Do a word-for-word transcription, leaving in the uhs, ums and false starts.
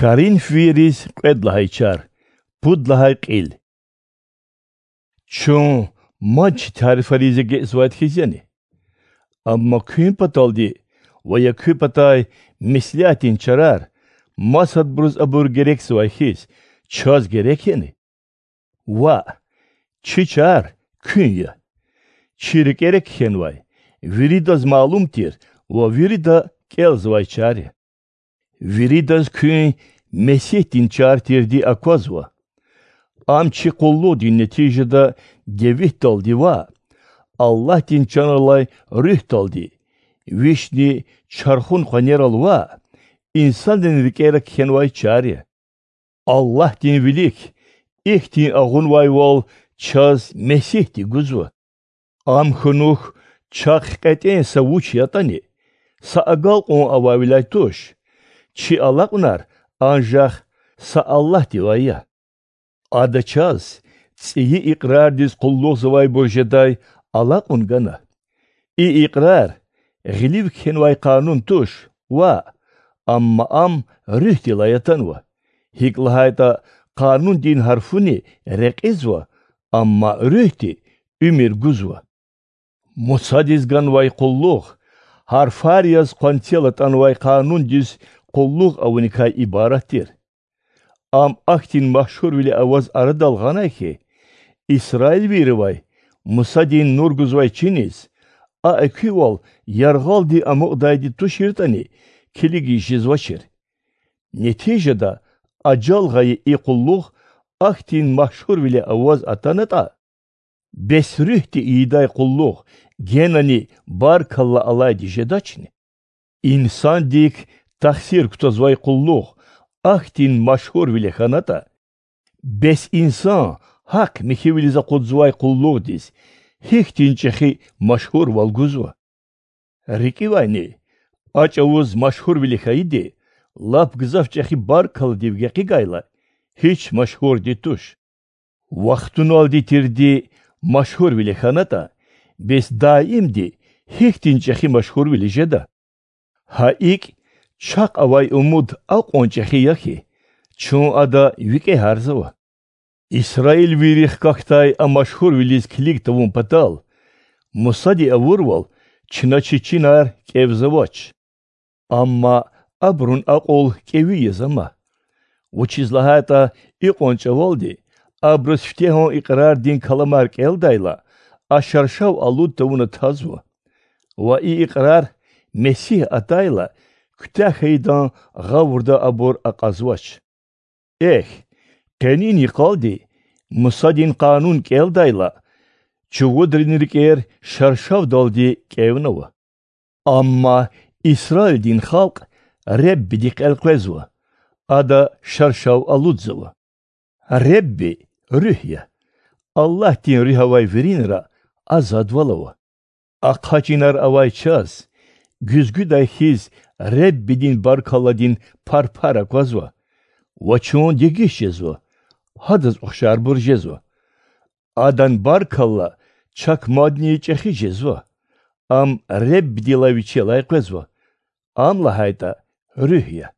Коринфвийриз кьвед лагьай чар, пуд лагьай кьил. Чун мад чи тарифариз эгечӀзавайди хьиз яни? Амма куьн паталди ва я куь патай меслятдин чарар масадбуруз абур герекзавай хьиз, чаз герек яни? Ваъ, чи чар куьн я. Чи рикӀера кхьенвай виридаз малум тир ва вирида кӀелзавай чар я. Виридаз куьн Месигьдин чар тирди аквазва. Ам чи къуллугъдин нетижада девитдалди ваъ, Аллагьдин чан алай Руьгьдалди, Вишни чархун къванерал ваъ, инсанрин рикӀера кхьенвай чар я. Аллагьдин вилик ихьтин агъунвайвал чаз Месигьди гузва. Ам хьунухь чахъ кьетӀен са вуч ятӀани, са агалкьун авайвиляй туш. Чи алакьунар анжах са Аллагьдивай я. Ада чаз цӀийи икьрардиз къуллугъзавайбур жедай алакьун гана. И икьрар гъилив кхьенвай къанун туш, ваъ, амма ам Руьгьдилай атанва. ГьикӀ лагьайтӀа къанундин гьарфуни рекьизва, амма Руьгьди уьмуьр гузва. Мусадиз ганвай къуллугъ гьарфар яз къванцел атӀанвай къанундиз къуллугъ авуникай ибарат тир. Ам ахьтин машгьурвиле аваз арадал гъанай хьи, исраилвийривай Мусадин нур гузвай чиниз, а экуьвал яргъалди амукьдайди туширтӀани, килигиз жезвачир. Нетижада ажал гъайи и къуллугъ ахьтин машгьурвиле аваз атанатӀа, бес Руьгьди ийидай къуллугъ генани баркалла алайди жедачни? Инсандик тахсир кутазвай къуллугъ ахьтин машгьурвиле хьанатӀа, бес инсан гьахъ-михьивилиз акъудзавай къуллугъдиз гьихьтин чӀехи машгьурвал гузва? РикӀивайни, а чӀавуз машгьурвиле хьайиди лап гзаф чӀехи баркалладив гекъигайла, гьич машгьурди туш. Вахтуналди тирди машгьурвиле хьанатӀа, бес даимди гьихьтин чӀехи машгьурвиле жеда? Гьа икӀ, чахъ авай умуд акьван чӀехи я хьи, чун ада викӀегьарзава. Исраилвийри хкахьдай а машгьурвилиз килиг тавун патал, Мусади авурвал чна чи чинар кӀевзавач. Амма абурун акьул кӀеви яз ама. Вучиз лагьайтӀа икьван чӀавалди абуруз фитегьан икьрардин каламар кӀелдайла, а шаршав алуд тавуна тазва. Ва и икьрар Месигь атайла куьтягь хьайидан гъавурда абур акьазвач. Эхь, къенин йикъалди Мусадин Къанун кӀелдайла, чувудрин рикӀер шаршавдалди кӀевнава. Амма Исраилдин халкь Реббидихъ элкъвезва, ада шаршав алудзава. Ребби Руьгь я. Аллагьдин Руьгь авай виринра азадвал ава. Ахъа чинар авай чаз, гуьзгуьдай хьиз, Реббидин баркалладин парпар аквазва, ва чун дегиш жезва, гьадаз ухшарбур жезва. Адан баркалла чак мадни чӀехи жезва, ам Реббидилай вичелай къвезва, ам лагьайтӀа Руьгь я.